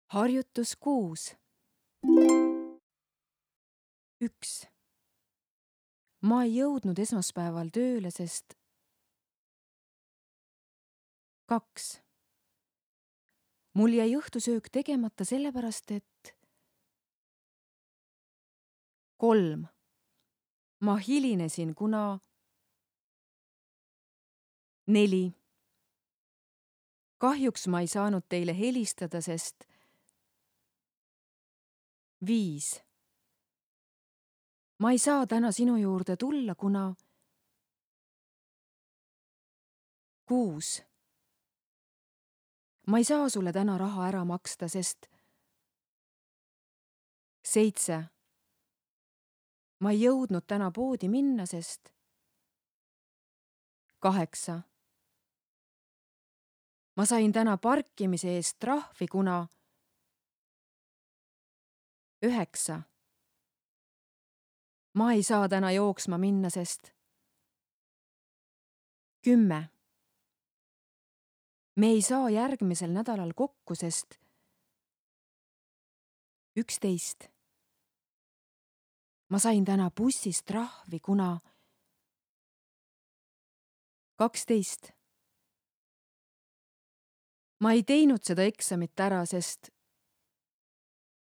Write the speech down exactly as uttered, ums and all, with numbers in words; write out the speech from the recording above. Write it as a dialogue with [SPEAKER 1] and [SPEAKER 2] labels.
[SPEAKER 1] Harjutus kuus. üks. Ma ei jõudnud esmaspäeval tööle, sest kaks. Mul jäi õhtusöök tegemata sellepärast, et kolm. Ma hilinesin, kuna neli. Kahjuks ma ei saanud teile helistada, sest viis. Ma ei saa täna sinu juurde tulla, kuna kuus. Ma ei saa sulle täna raha ära maksta, sest seitse. Ma ei jõudnud täna poodi minna, sest kaheksa. Ma sain täna parkimise eest trahvi, kuna üheksa. Ma ei saa täna jooksma minna, sest kümme. Me ei saa järgmisel nädalal kokku, sest üksteist. Ma sain täna bussis trahvi, kuna kaksteist. Ma ei teinud seda eksamit ära, sest